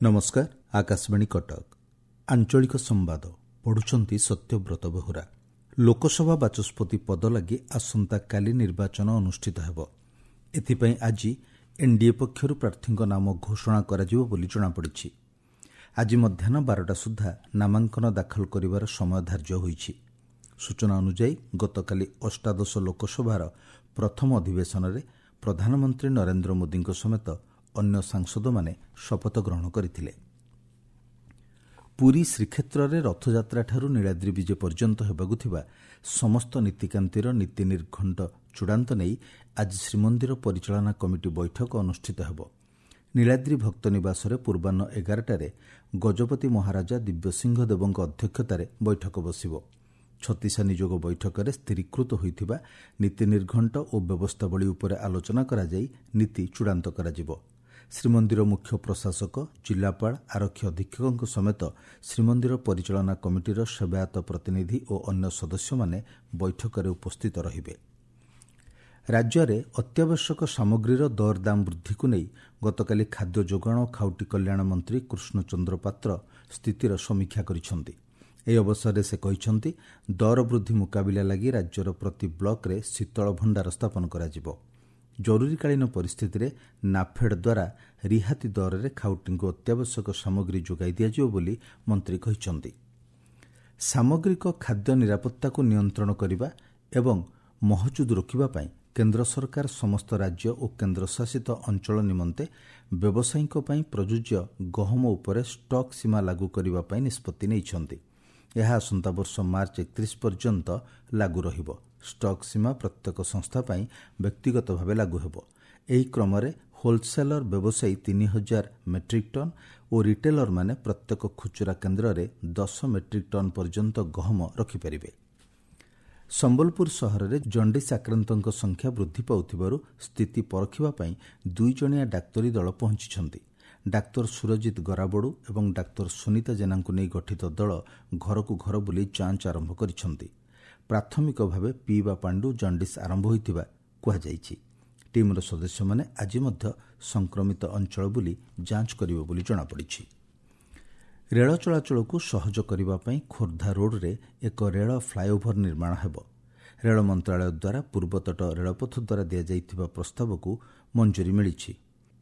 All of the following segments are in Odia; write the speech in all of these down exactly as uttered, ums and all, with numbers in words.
ନମସ୍କାର ଆକାଶବାଣୀ କଟକ ଆଞ୍ଚଳିକ ସମ୍ବାଦ ପଢୁଛନ୍ତି ସତ୍ୟବ୍ରତ ବେହୁରା ଲୋକସଭା ବାଚସ୍ପତି ପଦ ଲାଗି ଆସନ୍ତାକାଲି ନିର୍ବାଚନ ଅନୁଷ୍ଠିତ ହେବ ଏଥିପାଇଁ ଆଜି ଏନ୍ଡିଏ ପକ୍ଷରୁ ପ୍ରାର୍ଥୀଙ୍କ ନାମ ଘୋଷଣା କରାଯିବ ବୋଲି ଜଣାପଡ଼ିଛି ଆଜି ମଧ୍ୟାହ୍ନ ବାରଟା ସୁଦ୍ଧା ନାମାଙ୍କନ ଦାଖଲ କରିବାର ସମୟ ଧାର୍ଯ୍ୟ ହୋଇଛି ସୂଚନା ଅନୁଯାୟୀ ଗତକାଲି ଅଷ୍ଟାଦଶ ଲୋକସଭାର ପ୍ରଥମ ଅଧିବେଶନରେ ପ୍ରଧାନମନ୍ତ୍ରୀ ନରେନ୍ଦ୍ର ମୋଦିଙ୍କ ସମେତ ଅନ୍ୟ ସାଂସଦମାନେ ଶପଥ ଗ୍ରହଣ କରିଥିଲେ ପୁରୀ ଶ୍ରୀକ୍ଷେତ୍ରରେ ରଥଯାତ୍ରାଠାରୁ ନୀଳାଦ୍ରି ବିଜେ ପର୍ଯ୍ୟନ୍ତ ହେବାକୁ ଥିବା ସମସ୍ତ ନୀତିକାନ୍ତିର ନୀତି ନିର୍ଘଣ୍ଟ ଚୂଡ଼ାନ୍ତ ନେଇ ଆଜି ଶ୍ରୀମନ୍ଦିର ପରିଚାଳନା କମିଟି ବୈଠକ ଅନୁଷ୍ଠିତ ହେବ ନୀଳାଦ୍ରି ଭକ୍ତ ନିବାସରେ ପୂର୍ବାହ୍ନ ଏଗାରଟାରେ ଗଜପତି ମହାରାଜା ଦିବ୍ୟସିଂହ ଦେବଙ୍କ ଅଧ୍ୟକ୍ଷତାରେ ବୈଠକ ବସିବ ଛତିଶା ନିଯୋଗ ବୈଠକରେ ସ୍ଥିରୀକୃତ ହୋଇଥିବା ନୀତି ନିର୍ଘଣ୍ଟ ଓ ବ୍ୟବସ୍ଥାବଳୀ ଉପରେ ଆଲୋଚନା କରାଯାଇ ନୀତି ଚୂଡ଼ାନ୍ତ କରାଯିବ ଶ୍ରୀମନ୍ଦିର ମୁଖ୍ୟ ପ୍ରଶାସକ ଜିଲ୍ଲାପାଳ ଆରକ୍ଷୀ ଅଧୀକ୍ଷକଙ୍କ ସମେତ ଶ୍ରୀମନ୍ଦିର ପରିଚାଳନା କମିଟିର ସେବାୟତ ପ୍ରତିନିଧି ଓ ଅନ୍ୟ ସଦସ୍ୟମାନେ ବୈଠକରେ ଉପସ୍ଥିତ ରହିବେ ରାଜ୍ୟରେ ଅତ୍ୟାବଶ୍ୟକ ସାମଗ୍ରୀର ଦରଦାମ ବୃଦ୍ଧିକୁ ନେଇ ଗତକାଲି ଖାଦ୍ୟ ଯୋଗାଣ ଓ ଖାଉଟି କଲ୍ୟାଣ ମନ୍ତ୍ରୀ କୃଷ୍ଣଚନ୍ଦ୍ର ପାତ୍ର ସ୍ଥିତିର ସମୀକ୍ଷା କରିଛନ୍ତି ଏହି ଅବସରରେ ସେ କହିଛନ୍ତି ଦର ବୃଦ୍ଧି ମୁକାବିଲା ଲାଗି ରାଜ୍ୟର ପ୍ରତି ବ୍ଲକରେ ଶୀତଳ ଭଣ୍ଡାର ସ୍ଥାପନ କରାଯିବ ଜରୁରୀକାଳୀନ ପରିସ୍ଥିତିରେ ନାଫେଡ୍ ଦ୍ୱାରା ରିହାତି ଦରରେ ଖାଉଟିଙ୍କୁ ଅତ୍ୟାବଶ୍ୟକ ସାମଗ୍ରୀ ଯୋଗାଇ ଦିଆଯିବ ବୋଲି ମନ୍ତ୍ରୀ କହିଛନ୍ତି ସାମଗ୍ରିକ ଖାଦ୍ୟ ନିରାପତ୍ତାକୁ ନିୟନ୍ତ୍ରଣ କରିବା ଏବଂ ମହଜୁଦ ରୋକିବା ପାଇଁ କେନ୍ଦ୍ର ସରକାର ସମସ୍ତ ରାଜ୍ୟ ଓ କେନ୍ଦ୍ରଶାସିତ ଅଞ୍ଚଳ ନିମନ୍ତେ ବ୍ୟବସାୟୀଙ୍କ ପାଇଁ ପ୍ରଯୁଜ୍ୟ ଗହମ ଉପରେ ଷ୍ଟକ୍ ସୀମା ଲାଗୁ କରିବା ପାଇଁ ନିଷ୍ପତ୍ତି ନେଇଛନ୍ତି ଏହା ଆସନ୍ତା ବର୍ଷ ମାର୍ଚ୍ଚ ଏକତିରିଶ ପର୍ଯ୍ୟନ୍ତ ଲାଗୁ ରହିବ ଷ୍ଟକ୍ ସୀମା ପ୍ରତ୍ୟେକ ସଂସ୍ଥା ପାଇଁ ବ୍ୟକ୍ତିଗତ ଭାବେ ଲାଗୁ ହେବ ଏହି କ୍ରମରେ ହୋଲସେଲର ବ୍ୟବସାୟୀ ତିନି ହଜାର ମେଟ୍ରିକ୍ ଟନ୍ ଓ ରିଟେଲରମାନେ ପ୍ରତ୍ୟେକ ଖୁଚୁରା କେନ୍ଦ୍ରରେ ଦଶ ମେଟ୍ରିକ୍ ଟନ୍ ପର୍ଯ୍ୟନ୍ତ ଗହମ ରଖିପାରିବେ ସମ୍ବଲପୁର ସହରରେ ଜଣ୍ଡିସ୍ ଆକ୍ରାନ୍ତଙ୍କ ସଂଖ୍ୟା ବୃଦ୍ଧି ପାଉଥିବାରୁ ସ୍ଥିତି ପରଖିବା ପାଇଁ ଦୁଇଜଣିଆ ଡାକ୍ତରୀ ଦଳ ପହଞ୍ଚିଛନ୍ତି ଡାକ୍ତର ସୁରଜିତ ଗରାବଡୁ ଏବଂ ଡାକ୍ତର ସୁନୀତା ଜେନାଙ୍କୁ ନେଇ ଗଠିତ ଦଳ ଘରକୁ ଘର ବୁଲି ଯାଞ୍ଚ ଆରମ୍ଭ କରିଛନ୍ତି ପ୍ରାଥମିକ ଭାବେ ପିଇବା ପାଣିରୁ ଜଣ୍ଡିସ୍ ଆରମ୍ଭ ହୋଇଥିବା କୁହାଯାଇଛି ଟିମ୍ର ସଦସ୍ୟମାନେ ଆଜି ମଧ୍ୟ ସଂକ୍ରମିତ ଅଞ୍ଚଳ ବୁଲି ଯାଞ୍ଚ କରିବେ ବୋଲି ଜଣାପଡ଼ିଛି ରେଳ ଚଳାଚଳକୁ ସହଜ କରିବା ପାଇଁ ଖୋର୍ଦ୍ଧା ରୋଡ୍ରେ ଏକ ରେଳ ଫ୍ଲାଏଓଭର ନିର୍ମାଣ ହେବ ରେଳ ମନ୍ତ୍ରଣାଳୟ ଦ୍ୱାରା ପୂର୍ବତଟ ରେଳପଥ ଦ୍ୱାରା ଦିଆଯାଇଥିବା ପ୍ରସ୍ତାବକୁ ମଞ୍ଜୁରୀ ମିଳିଛି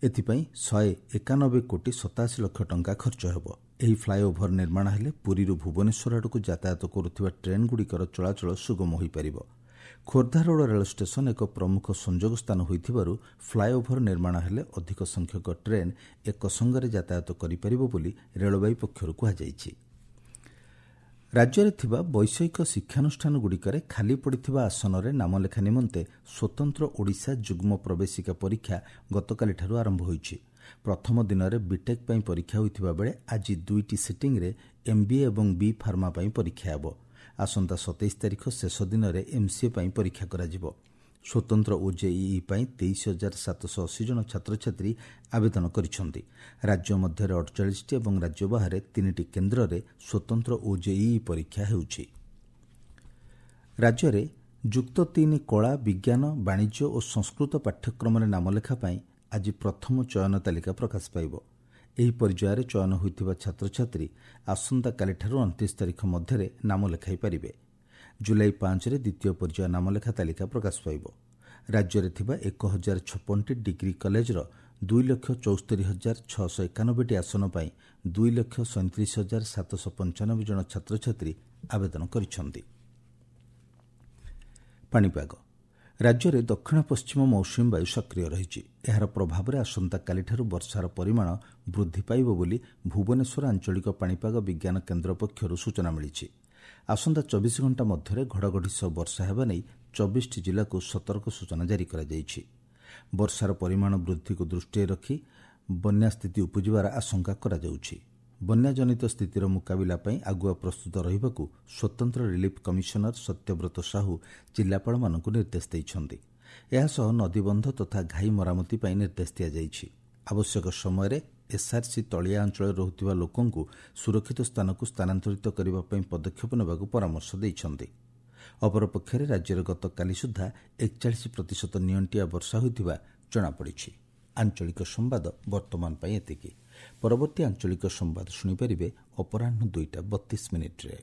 ଏଥିପାଇଁ ଶହେ ଏକାନବେ କୋଟି ସତାଅଶୀ ଲକ୍ଷ ଟଙ୍କା ଖର୍ଚ୍ଚ ହେବ ଏହି ଫ୍ଲାଏଓଭର ନିର୍ମାଣ ହେଲେ ପୁରୀରୁ ଭୁବନେଶ୍ୱର ଆଡ଼କୁ ଯାତାୟାତ କରୁଥିବା ଟ୍ରେନ୍ଗୁଡ଼ିକର ଚଳାଚଳ ସୁଗମ ହୋଇପାରିବ ଖୋର୍ଦ୍ଧା ରୋଡ୍ ରେଳ ଷ୍ଟେସନ ଏକ ପ୍ରମୁଖ ସଂଯୋଗ ସ୍ଥାନ ହୋଇଥିବାରୁ ଫ୍ଲାଏଓଭର ନିର୍ମାଣ ହେଲେ ଅଧିକ ସଂଖ୍ୟକ ଟ୍ରେନ୍ ଏକ ସଙ୍ଗରେ ଯାତାୟାତ କରିପାରିବ ବୋଲି ରେଳବାଇ ପକ୍ଷରୁ କୁହାଯାଇଛି ରାଜ୍ୟରେ ଥିବା ବୈଷୟିକ ଶିକ୍ଷାନୁଷ୍ଠାନଗୁଡ଼ିକରେ ଖାଲି ପଡ଼ିଥିବା ଆସନରେ ନାମଲେଖା ନିମନ୍ତେ ସ୍ୱତନ୍ତ୍ର ଓଡ଼ିଶା ଯୁଗ୍ମ ପ୍ରବେଶିକା ପରୀକ୍ଷା ଗତକାଲିଠାରୁ ଆରମ୍ଭ ହୋଇଛି ପ୍ରଥମ ଦିନରେ ବିଟେକ୍ ପାଇଁ ପରୀକ୍ଷା ହୋଇଥିବା ବେଳେ ଆଜି ଦୁଇଟି ସିଟିଂରେ ଏମ୍ବିଏ ଏବଂ ବି ଫାର୍ମା ପାଇଁ ପରୀକ୍ଷା ହେବ ଆସନ୍ତା ସତେଇଶ ତାରିଖ ଶେଷ ଦିନରେ ଏମ୍ସିଏ ପାଇଁ ପରୀକ୍ଷା କରାଯିବ ସ୍ୱତନ୍ତ୍ର ଓଜେଇଇ ପାଇଁ ତେଇଶ ହଜାର ସାତଶହ ଅଶୀ ଜଣ ଛାତ୍ରଛାତ୍ରୀ ଆବେଦନ କରିଛନ୍ତି ରାଜ୍ୟ ମଧ୍ୟରେ ଅଠଚାଳିଶଟି ଏବଂ ରାଜ୍ୟ ବାହାରେ ତିନିଟି କେନ୍ଦ୍ରରେ ସ୍ୱତନ୍ତ୍ର ଓଜେଇଇ ପରୀକ୍ଷା ହେଉଛି ରାଜ୍ୟରେ ଯୁକ୍ତ ତିନି କଳା ବିଜ୍ଞାନ ବାଣିଜ୍ୟ ଓ ସଂସ୍କୃତ ପାଠ୍ୟକ୍ରମରେ ନାମଲେଖା ପାଇଁ ଆଜି ପ୍ରଥମ ଚୟନ ତାଲିକା ପ୍ରକାଶ ପାଇବ ଏହି ପର୍ଯ୍ୟାୟରେ ଚୟନ ହୋଇଥିବା ଛାତ୍ରଛାତ୍ରୀ ଆସନ୍ତାକାଲିଠାରୁ ଅଣତିରିଶ ତାରିଖ ମଧ୍ୟରେ ନାମ ଲେଖାଇ ପାରିବେ ଜୁଲାଇ ପାଞ୍ଚରେ ଦ୍ୱିତୀୟ ପର୍ଯ୍ୟାୟ ନାମଲେଖା ତାଲିକା ପ୍ରକାଶ ପାଇବ ରାଜ୍ୟରେ ଥିବା ଏକ ହଜାର ଛପନଟି ଡିଗ୍ରୀ କଲେଜର ଦୁଇ ଲକ୍ଷ ଚଉସ୍ତରୀ ହଜାର ଛଅଶହ ଏକାନବେଟି ଆସନ ପାଇଁ ଦୁଇ ଲକ୍ଷ ସଇଁତିରିଶ ହଜାର ସାତଶହ ପଞ୍ଚାନବେ ଜଣ ଛାତ୍ରଛାତ୍ରୀ ଆବେଦନ କରିଛନ୍ତି ପାଣିପାଗ ରାଜ୍ୟରେ ଦକ୍ଷିଣ ପଶ୍ଚିମ ମୌସୁମୀ ବାୟୁ ସକ୍ରିୟ ରହିଛି ଏହାର ପ୍ରଭାବରେ ଆସନ୍ତାକାଲିଠାରୁ ବର୍ଷାର ପରିମାଣ ବୃଦ୍ଧି ପାଇବ ବୋଲି ଭୁବନେଶ୍ୱର ଆଞ୍ଚଳିକ ପାଣିପାଗ ବିଜ୍ଞାନ କେନ୍ଦ୍ର ପକ୍ଷରୁ ସୂଚନା ମିଳିଛି ଆସନ୍ତା ଚବିଶ ଘଣ୍ଟା ମଧ୍ୟରେ ଘଡ଼ଘଡ଼ି ସହ ବର୍ଷା ହେବା ନେଇ ଚବିଶଟି ଜିଲ୍ଲାକୁ ସତର୍କ ସୂଚନା ଜାରି କରାଯାଇଛି ବର୍ଷାର ପରିମାଣ ବୃଦ୍ଧିକୁ ଦୃଷ୍ଟିରେ ରଖି ବନ୍ୟା ସ୍ଥିତି ଉପୁଜିବାର ଆଶଙ୍କା କରାଯାଉଛି ବନ୍ୟାଜନିତ ସ୍ଥିତିର ମୁକାବିଲା ପାଇଁ ଆଗୁଆ ପ୍ରସ୍ତୁତ ରହିବାକୁ ସ୍ୱତନ୍ତ୍ର ରିଲିଫ୍ କମିଶନର ସତ୍ୟବ୍ରତ ସାହୁ ଜିଲ୍ଲାପାଳମାନଙ୍କୁ ନିର୍ଦ୍ଦେଶ ଦେଇଛନ୍ତି ଏହାସହ ନଦୀବନ୍ଧ ତଥା ଘାଇ ମରାମତି ପାଇଁ ନିର୍ଦ୍ଦେଶ ଦିଆଯାଇଛି ଆବଶ୍ୟକ ସମୟରେ ଏସ୍ଆର୍ସି ତଳିଆ ଅଞ୍ଚଳରେ ରହୁଥିବା ଲୋକଙ୍କୁ ସୁରକ୍ଷିତ ସ୍ଥାନକୁ ସ୍ଥାନାନ୍ତରିତ କରିବା ପାଇଁ ପଦକ୍ଷେପ ନେବାକୁ ପରାମର୍ଶ ଦେଇଛନ୍ତି ଅପରପକ୍ଷରେ ରାଜ୍ୟରେ ଗତକାଲି ସୁଦ୍ଧା ଏକଚାଳିଶ ପ୍ରତିଶତ ନିଅଣ୍ଟିଆ ବର୍ଷା ହୋଇଥିବା ଜଣାପଡ଼ିଛି ଆଞ୍ଚଳିକ ସମ୍ବାଦ ବର୍ତ୍ତମାନ ପାଇଁ ଏତିକି ପରବର୍ତ୍ତୀ ଆଞ୍ଚଳିକ ସମ୍ବାଦ ଶୁଣିପାରିବେ ଅପରାହ୍ନ ଦୁଇଟା ବତିଶ ମିନିଟ୍ରେ।